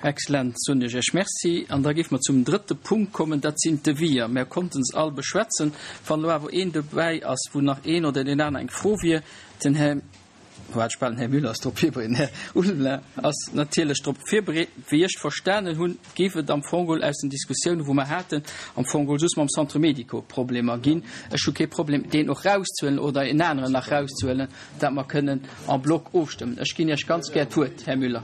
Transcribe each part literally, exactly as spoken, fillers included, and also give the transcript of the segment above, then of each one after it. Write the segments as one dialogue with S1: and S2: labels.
S1: Excellent, soen ech Iech Merci. An da géife mer zum drëtte Punkt kommen, dat sinn d'Deviser. Mer konnten se all beschwätzen. Wann elo awer een dobäi ass, wou nach een oder deen aner eng Fro wier, den Här, wat ech bal den Här Müller ass drop virbereet, den Här Ulveling ass natierlech drop virbereet. Wéi ech verstanen hunn, géif et am Fong geholl aus den Diskussiounen, wou mer haten, am Fong geholl just mam Centre médico Problemer ginn. Ech hu kee Problem, deen och rauszehuelen oder en aneren nach rauszehuelen, dat mer kënnen en bloc ofstëmmen. Ech ginn Iech ganz gär d'Wuert, Här Müller.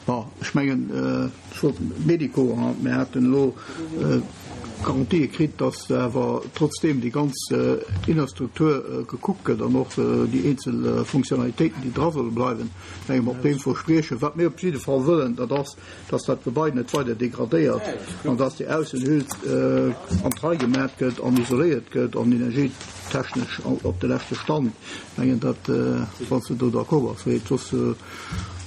S2: Bon, ech mengen, ech wollt Medico, mir haten elo Garantië kritt, datt awer trotzdeem déi ganz Innerstruktur gekuckt gëtt an och déi eenzel Funktionalitéiten, déi dra solle bleiwen. Ech menge mer op deem Verspriechen. Wat mir op jidde Fall wëllen, dat ass, datt dat Gebai net weider degradéiert an datt déi Aussenhüll an d'Rei gemat gëtt an isoléiert gëtt an energietechnesch op de leschte Stand. Ech mengen, dat, wann s de do d'accord bass, wéi et soss,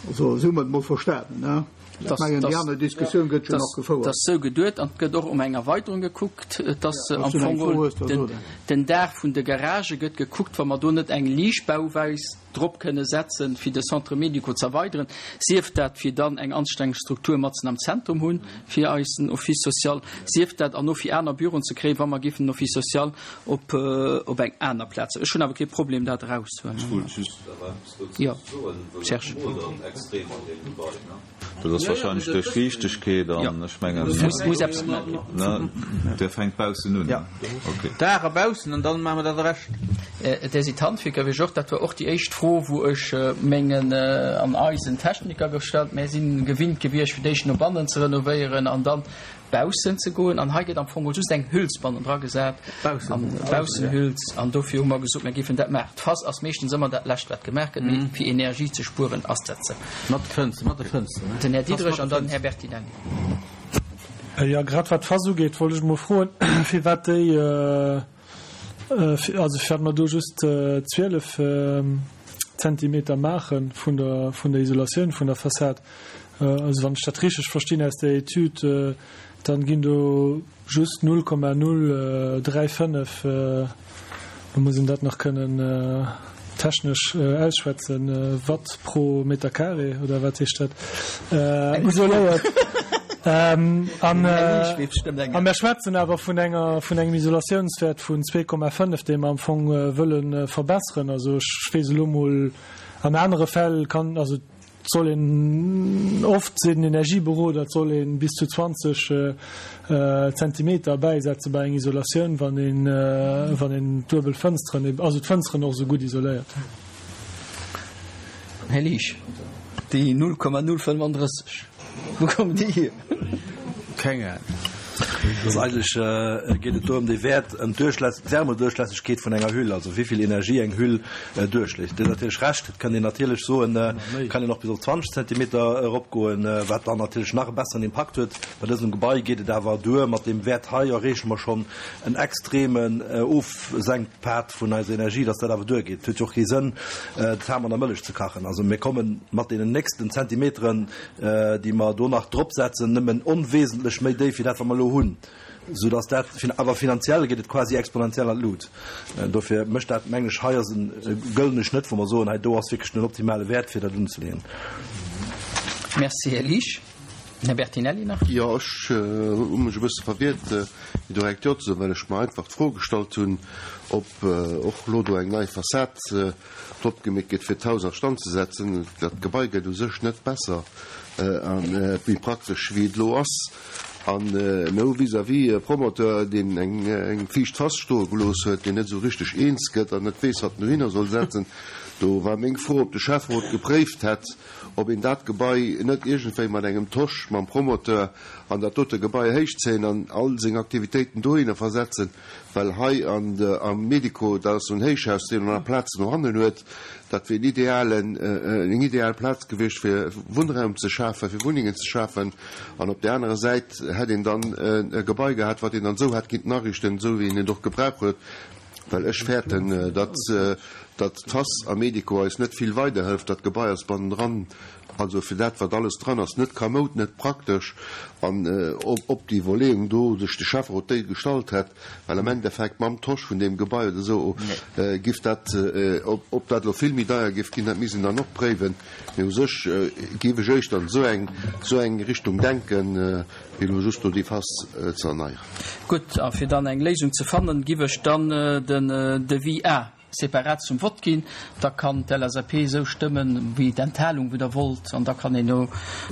S2: also esou hu mer et emol verstanen, ne? Ech mengen, déi aner Diskussioun gëtt jo nach gefouert.
S1: Et ass esou geduet an et gëtt och ëm eng Erweiterung gekuckt. Et ass am Fong geholl den Daach vun de Garagë gëtt gekuckt, wa mer do net eng Liichtbauweis drop kënne setzen, fir de Centre médico ze erweideren, sief dat fir dann eng anstänneg Struktur matzen am Zentrum hunn fir eisen Office social, sief dat an och fir aner Büroen ze kréien, wa mer géifen den Office social op op eng aner Plaz. Ech hunn awer kee Problem, dat erauszehuelen.
S3: Ech wollt just awer eppes dozou
S1: Jo,
S3: soen, well et
S1: Serge.
S3: modert extrem an deem Gebai, ne? Dat ass wahrscheinlech duerch Fiichtegkeet an ech mengen,
S1: Muss, muss eppes gemaach ginn.
S3: ne, der fänkt baussen un,
S4: Ja.
S3: okay.
S4: Daach a baussen an dann maache mer dat ewech.
S1: Där si d'Handwierker wéi ech och. Dat war och déi éischt Fro, wou ech mengen an eisen Techniker gestallt. Mär si gewinnt gewiescht, fir d'éischt no bannen ze renovéieren an dann baussen ze goen. An hei gëtt am Fong mol just eng Hüls bannen dra gesat, Baussenhüls. An dofir hu mer gesot, mir géifen dat maachen. D'Fass ass meeschtens ëmmer dat Lescht, wat gemaach gëtt, mee fir Energie ze spueren ass dat sou.
S4: Mat de Fënster, mat de Fënster, ne?
S1: Den Här Diderich an dann den Här Bertinelli.
S5: Jo, grad wat d'Fass ugeet, wollt ech emol froen, firwat déi, also firwat mer do just zwielef Zentimeter maache vun der, vun der Isolatioun vun der Fassad. Also wann ech dat richteg verstinn aus der Etüd, dann ginn do just null Komma null dräi fënnef, do muss een dat nach kënnen technesch ausschwätzen, Watt pro Meter carré oder wat heescht dat, isoléiert. An mir schwätzen awer vun enger, vun engem Isolatiounswäert vun zwee Komma fënnef, dee mer am Fong wëlle verbesseren. Also ech weess elo mol, an anere Fäll kann, also et soll een, oft seet den Energieberoder, et soll ee bis zu zwanzeg Zentimeter bäisetze bei eng Isolatioun, wann een, wann een d'duebel Fënsteren, also d'Fënsteren och esou gutt isoléiert.
S1: Här Liesch, déi null Komma null fënnfandrësseg, wou kommen déi hier?
S4: Keng Ahnung.
S6: Also eigentlech geet et do ëm de Wäert, ëm d'Thermoduerchlässegkeet vun enger Hüll, also wéi vill Energie eng Hüll duerchléisst. Dir hutt natierlech Recht, et kann een natierlech soen, kann een och bis op zwanzeg Zentimeter eropgoen, wat dann natierlech nach e besseren Impakt huet. Bei dësem Gebai geet et awer duer, mat deem Wäert hei erreeche mer schonn en extremen Ofsenkpad vun eiser Energie, dass dat awer duergeet. Et huet jo och kee Sënn, d'Ham an der Mëllech ze kachen. Also mir komme mat deenen nächsten Zentimeteren, déi mer do nach dropsetzen, nëmmen onwesentlech méi déif wéi dat, wat mer elo hunn, soudass dat, awer finanziell geet et quasi exponentiell an d'Lut. Dofir mécht dat, mengen ech, hei ass e gëllene Schnëtt, wou mer soen, hei do ass wierklech den optimale Wäert, fir dat unzeleeën.
S1: Merci, Här Liesch. Här Bertinelli nach.
S7: Jo, ech hu mech e bësse verwiert, fir direkt Jo ze soen, well ech mer einfach d'Fro gestallt hunn, ob och elo do eng nei Fassad drop gemeet gëtt, fir d'Haus a Stand ze setzen. Dat Gebai gëtt u sech net besser a méi praktesch, wéi et elo ass. An mir hu vis-à-vis e Promoteur, deen eng fiicht Fass stoe gelooss huet, deen net esou richteg eens gëtt an net weess, wat en dohinner soll setzen. Do war meng Fro, ob de Schäfferot gepréift hätt, ob een dat Gebai net iergendwéi mat engem Tosch mam Promoteur an dat dote Gebai héichzéien an all seng Aktivitéiten dohinner versetzen, well hei an am Medico, dat ass esou en Héichhaus, deen och nach Plazen no hannen huet, dat wier en idealen, eng ideal Plaz gewiescht, fir Wunnraum ze schafen, fir Wunnengen ze schafen. An op där anerer Säit hätt een dann e Gebai gehat, wat een dann esou hätt kinnten ariichten, esou wéi een et och gebraucht huet. Well ech fäerten, datt datt d'Fass am Medico eis net vill weiderhëlft. Dat Gebai ass bannendran Also fir dat, wat alles dran ass, net kamoud, net praktesch. An ob, ob déi Iwwerleeung do sech de Schäfferot déi gestallt hätt, well am Endeffekt mam Tosch vun deem Gebai oder esou giff dat, ob, ob dat elo vill méi deier giff ginn, dat misst een dann och préiwen. Mee u sech giff ech éischter an esou eng, esou eng Richtung denken, wéi elo just do déi Face ze erneieren.
S1: Gutt, a fir dann eng Léisung ze fannen, giff ech dann den Devis A separat zum Vott ginn. Da kann d'LSAP esou stëmmen, wéi d'Enthalung, wéi Der wollt, an da kann een no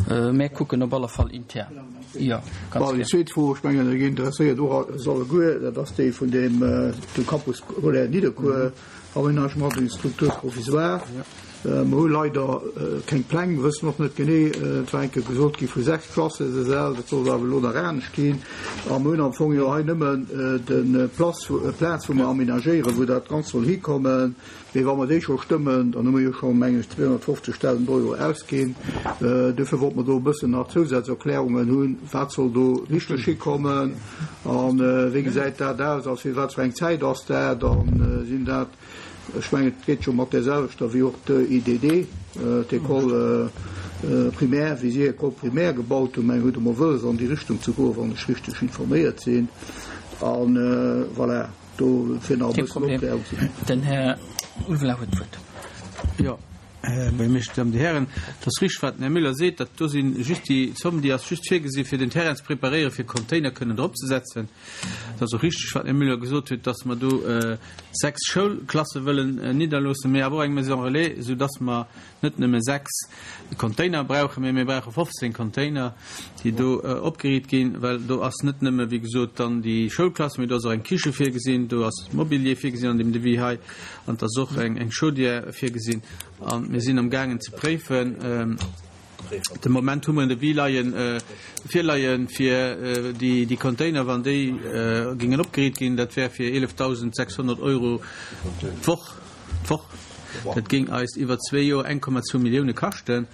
S1: mä kucken op alle Fall intern. Jo, ganz
S2: Bon, déi
S1: gär.
S2: zweet Fro, ech mengen, déi interesséiert och eis alleguer, dat ass déi vun deem, dem Campus scolaire Nidderkuer, Aménagement d'une structure provisoire. Mer hu leider keng Pläng, wëssen och net genee, et war eng Kéier gesot gi vu sechs Klassesäll, dat soll awer elo nach anescht ginn. A mer hunn am Fong jo hei nëmmen de Place, d'Plaz, wou mer aménagéieren, wou dat Ganzt soll hikommen. Mee wa mer déi scho stëmmen, dann hu mer jo scho, meng ech, zweehonnertfofzegdausend Euro ausginn. Duerfir wollte mer do e bëssen nach Zousazerklärungen hunn, wat soll do richteg hikommen a wéi gesäit dat aus a fir wat fir eng Zäit ass dat a sinn dat, Ech mengen, et geet jo mat där selwechter wéi och d'EIDD, d'École primaire, wéi si École primaire gebaut hunn. Mengen, huet emol wëlles an déi Richtung ze goen, wann ech richteg informéiert sinn. A voilà, do fir nach e
S1: Kee
S2: bëssen
S1: Problem.
S2: Opklärung ze ginn.
S1: Den Här Ulveling huet d'Wuert.
S4: Jo, Här Meeschter, Dir Dammen, Dir Hären, et ass richteg, wat den Här Müller seet, dat do si just déi Zomm, déi ass just virgesi fir den Terrain ze preparéieren, fir Container kënnen drop ze setzen. Et ass och richteg, wat den Här Müller gesot huet, dass mer do sechs Schoulklasse wëllen nidderloossen, mee awer och eng Maison relais, soudass mer net nëmme sechs Container brauchen, mee mir brauche fofzéng Container, déi do opgeriicht ginn, well do ass net nëmme, wéi gesot, dann déi Schoulklass, mee do ass och eng Kiche virgesinn, do ass Mobilier virgesinn an deem Devis hei an et ass och eng Chaudière virgesinn. A mir sinn amgaangen ze préifen. De Moment hu mer en Devis leien, virleien fir déi Container, wann déi géingen opgeriicht ginn, dat wär fir eelefdausendsechshonnert Euro d'Woch, d'Woch. Dat géing eis iwwer zwee Joer eng Komma zwou Millioune kaschten.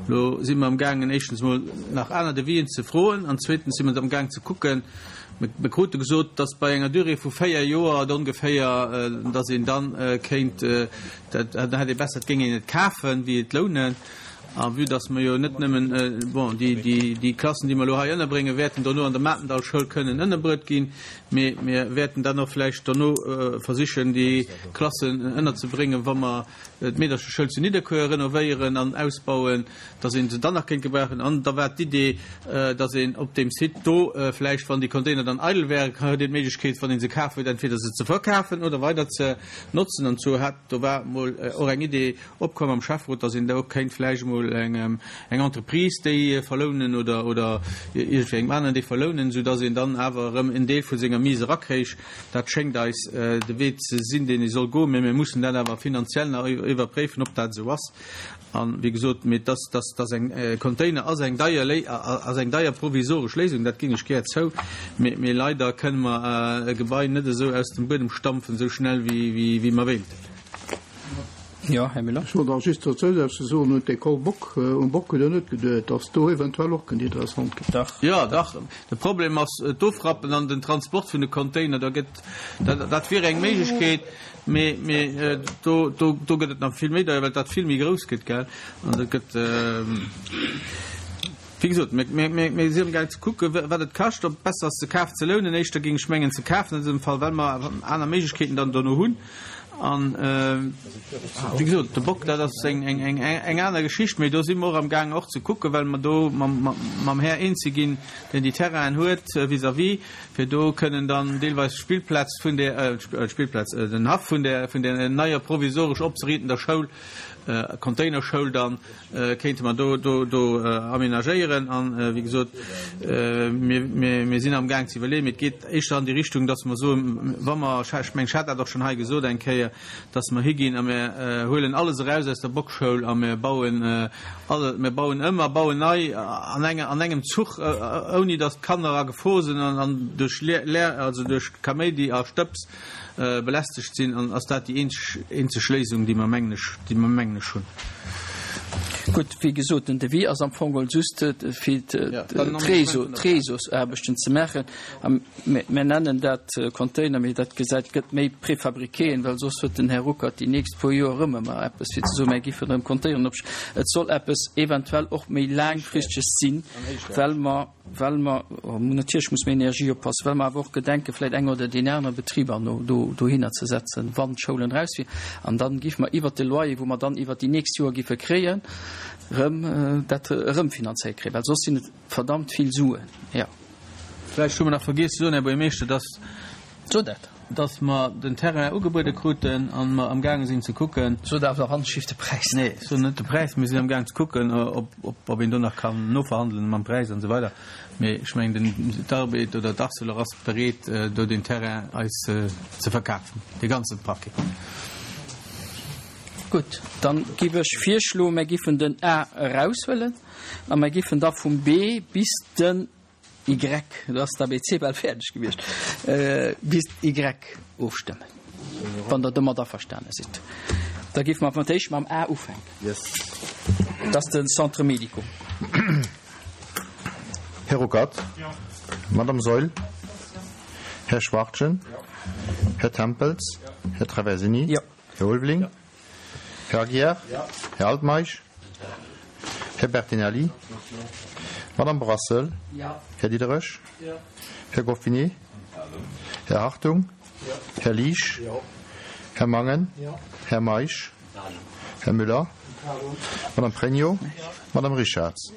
S4: Elo si mer amgaangen éischtens emol nach aner Devisen ze froen an zweetens si mer amgaang ze kucken, mir krute gesot, datt bei enger Durée vu véier Joer et ongeféier, datt een dann kéint, dat hätt ee besser, et géing een et kafen, wéi et lounen. A vue datt mer jo net nëmmen, bon, déi, déi, déi Klassen, déi mer elo hei ënnerbréngen, wäerten dono an der Matendallschoul kënnen ënnerbruet ginn, mee mir wäerten dann och vläicht dono versichen, déi Klassen ënnerzebréngen, wa mer d'Meedercheschoul zu Nidderkuer renovéieren an ausbauen, datt ee se dann nach kéint gebrauchen. An da war d'Idee, datt een op deem Site do vläicht, wann déi Container dann eidel wären, huet een d'Méiglechkeet, wann ee se kaf huet, entweder se ze verkafen oder weider ze notzen. An zwou hat, do war emol och eng Idee opkomm am Schäfferot, datt een do kéint vläicht emol eng Entreprise déi verlounen oder oder iergendwéi engem aneren déi verlounen, soudatt een dann awer erëm en Deel vu senger Mise erakréich. Dat schéngt eis de Wee ze sinn, deen ee soll goen, mä mir mussen dat awer finanziell nach iwwerpréifen, ob dat esou ass. An, wéi gesot, mee dass, dass, dass eng Container ass eng deier Léi, ass eng deier provisoresch Léisung, dat ginn ech gär zou, mee, mee leider kënne mer e Gebai net esou aus dem Buedem stampfen, esou schnell wéi, wéi, wéi mer wéilten.
S1: Jo, Här Müller.
S2: Ech wollt nach just dozou soen, un d'École Bock, un Bock hutt Der net geduet, dass do eventuell och kënnt interessant ginn?
S1: Dach.
S4: Jo, dach. De Problem ass d'Ofrappen an den Transport vun de Container. Da gëtt, dat, dat wier eng Méiglechkeet, mee, mee do, do, do gëtt et nach vill méi deier, well dat vill méi grouss gëtt, gell. An dat gëtt, wéi gesot, mir, mir, mir, mir si amgaang ze kucken, wat et kascht, ob et besser ass, ze kafen, ze lounen. Éischter géing ech mengen, ze kafen an dësem Fall, well mer aner Méiglechkeeten dann dono hunn. An, wéi gesot, de Bock, dat ass eng, eng, eng, eng aner Geschicht, mee do si mer och amgaang och ze kucken, well mer do mam, mam Här eens si ginn, deen déi Terrainen huet vis-à-vis, fir do kënnen dann deelweis d'Spillplaz vun där, d'Spillplaz, den Haff vun där, vun där neier provisoresch opzeriitender Schoul, Containerschoul dann, kéinte mer do, do, do aménagéieren. An, wéi gesot, mir, mir, mir sinn amgaang ze iwwerleeën, mee et geet éischter an déi Richtung, dass mer soen, wa mer, ech mengen, ech hat dat och schonn hei gesot eng Kéier, dass mer higinn a mir huelen alles eraus aus der Bockschoul a mir bauen alle, mir bauen ëm a bauen nei an enger, an engem Zuch, ouni dass d'Kanner a Gefor sinn an, an duerch Lär, also duerch Kaméidi a Stëbs belästegt sinn. An ass dat déi eenzeg, eenzeg Léisung, déi mer, mengen ech, déi mer, mengen ech, hunn.
S1: Gutt, wéi gesot, den Devis ass am Fong geholl just fir d'Réseausaarbechten ze maachen. A mir nennen dat Container, mee dat gesäit, gëtt méi Préfabriquéen, well soss huet den Här Ruckert déi nächst puer Joer erëm ëmmer eppes fir ze soen, mir giffen erëm Containeren opstellen. Et soll eppes eventuell och méi laangfristeges sinn, well mer, well mer, natierlech muss mer Energie oppassen, well mer awer och gedenken, vläicht eng oder deen anere Betrib an no do, dohinner ze setzen, wann d'Schoulen raus wier. An dann giffe mer iwwert de Loyer, wou mer dann iwwert déi nächst Joer giffe kréien, erëm dat erëmfinanzéiert kréien, well soss sinn et verdammt vill Suen, jo.
S4: Vläicht hu mer nach vergiess ze soen, Här Buergermeeschter, dass,
S1: Sot dat.
S4: dass mer den Terrain ugebuede kruten a mer amgaange sinn ze kucken.
S1: Sot awer anscheinend de Präis
S4: net. Nee, ech soen net de Präis. Mir sinn amgaangen ze kucken, ob, ob, ob een do nach kann noverhandelen mam Präis an esou weider. Mee ech mengen, den d'Arbed oder d'Arcelor ass bereet, do deen Terrain eis ze verkafen, dee ganze Paquet.
S1: Gutt, dann giff ech virschloen, mer giffen den A eraushuelen a mer giffen da vum B bis den Y, do ass d'ABC bal fäerdeg gewiescht, bis Y ofstëmmen, wann Der domat averstane sidd. Da giffe mer fir d'éischt mam A ufänken. Dat ass de Centre médico.
S8: Här Ruckert? Madame Saeul? Här Schwachtgen? Här Tempels? Här Traversini? Här Ulveling? Här Aguiar? Här Altmeisch? Här Bertinelli? Madame Brassel? Här Diderich? Här Goffinet? Här Hartung? Här Liesch? Här Mangen? Här Meisch? Här Müller? Madame Pregno? Madame Richarz?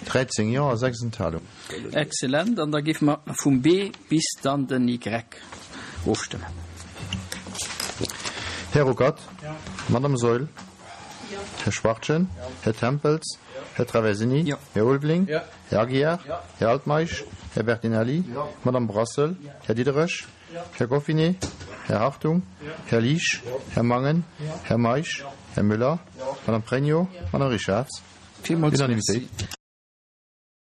S8: dräizéng Jo a sechs Enthalungen.
S1: Excellent. An da géife mer vum B bis dann den Y ofstëmmen.
S8: Här Ruckert? Madame Saeul? Här Schwachtgen? Här Tempels? Här Traversini? Här Ulveling? Här Aguiar? Här Altmeisch? Här Bertinelli? Madame Brassel? Här Diderich? Här Goffinet? Här Hartung? Här Liesch? Här Mangen? Här Meisch? Här Müller? Madame Pregno? Madame Richarz?
S1: Villmools
S8: Unanimitéit.
S1: Merci.